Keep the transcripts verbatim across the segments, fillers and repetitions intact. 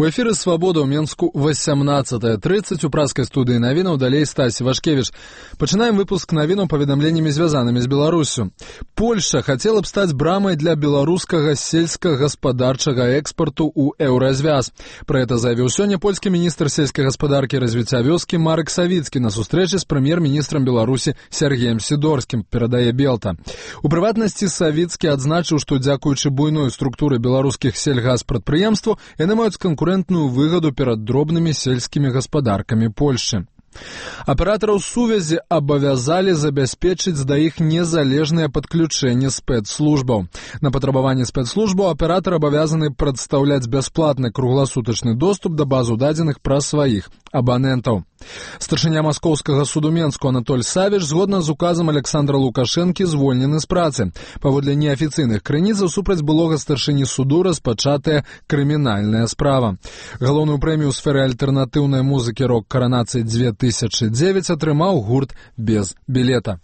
У эфіры «Свабода» ў Менску восемнадцатая тридцать. У праскай студыі навінаў далей Стась Вашкевіч. Пачынаем выпуск навінаў паведамленнямі, звязанымі з Беларусю. Польша хацела б стаць брамай для беларускага сельскагаспадарчага экспарту ў еўразвяз. Пра гэта заявіў сёння польскі міністр сельскай гаспадаркі і развіцця вёскі Марек Савіцкі на сустрэчы з прэм'ер-міністрам Беларусі Сергеем Сідорскім, перадае Белта. У прыватнасці Савіцкі адзначыў, што дзякуючы буйной структуры беларускіх сельгаспрадпрыемстваў яны маюць конкурентную выгоду перад дробнымі сельскімі гаспадаркамі Польшчы. Аператараў сувязі абавязалі забяспечыць да іх незалежнае падключэнне спецслужбаў. На патрабаванне спецслужбаў аператар абавязаны прадстаўляць бясплатны кругласутачны доступ да базу дадзеных пра сваіх абанентаў. Старшыня маскоўскага суду Менску Анатоль Савіч згодна з указам Александра Лукашэнкі звольнены з працы. Паводле неафіцыйных крыніцаў супраць былога старшыні суду распачатая крымінальная справа. Галоўную прэмію ў сферы альтэрнатыўнай музыкі рок-каранацыі две тысячы девять атрымаў гурт «Без білета».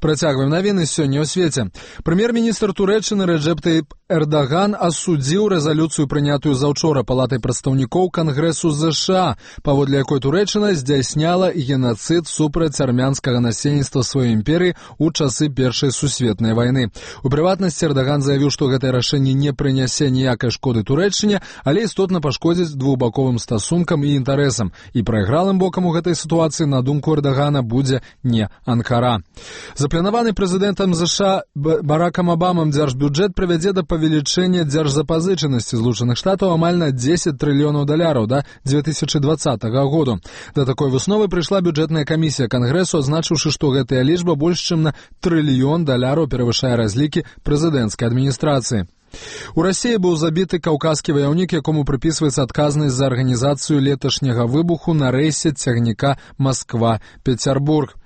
Працягваем навіны сёння ў свеце. Прэм'ер-міністр Турэччыны Рэджэп Таіп Эрдаган асудзіў рэзалюцыю, прынятую заўчора Палатай прадстаўнікоў Кангрэсу ЗША, паводле якой Турэччына здзяйсняла генацыд супраць армянскага насельніцтва сваёй імперыі ў часы Першай сусветнай вайны. У прыватнасці Эрдаган заявіў, што гэтае рашэнне не прынясе ніякай шкоды Турэччыне, але істотна пашкодзіць двухбаковым стасункам і інтарэсам. І прайгралым бокам у гэтай сітуацыі, на думку Эрдагана, будзе не Анкара. Запланаваны прэзідэнтам ЗША Баракам Абамам дзяржбюджэт прывядзе да павелічэння дзяржзапазычанасці Злучаных Штатаў амаль на дзесяць трыльёнаў даляраў да две тысячы двадцатага году. Да такой высновы прыйшла бюджэтная камісія Кангрэсу, адзначыўшы, што гэтая лічба больш чым на трыльён даляраў перавышае разлікі прэзідэнцкай адміністрацыі. У Расіі быў забіты каўказскі ваяўнік, якому прыпісваецца адказнасць за арганізацыю леташняга выбуху на рэйсе цягніка Масква-Пецярбург.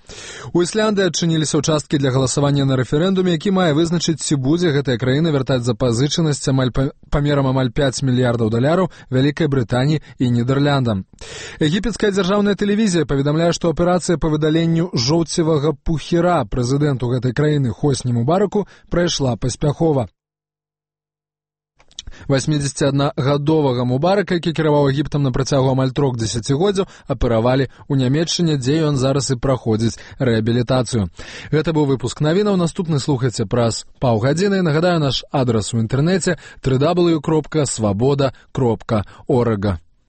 У Ісляндыі адчыніліся ўчасткі для галасавання на рэферэндуме, які мае вызначыць, ці будзе гэтая краіна вяртаць запазычанасць амаль памерам амаль пяць мільярдаў даляраў Вялікай Брытаніі і Нідэрляндам. Егіпецкая дзяржаўная тэлевізія паведамляе, што аперацыя па выдаленню жоўцевага пухіра прэзідэнту гэтай краіны Хосні Мубараку прайшла паспяхова. восьмідзесяциаднагадовага Мубарака, які кіраваў Егіптам на працягу амаль трох дзесяцігоддзяў, аперавалі ў Нямецчыне, дзе ён зараз і праходзіць рэабілітацыю. Гэта быў выпуск навінаў. Наступны слухайце праз паўгадзіны. Нагадаю, наш адрас у інтэрнэце дабл ю дабл ю дабл ю кропка свабода кропка орг.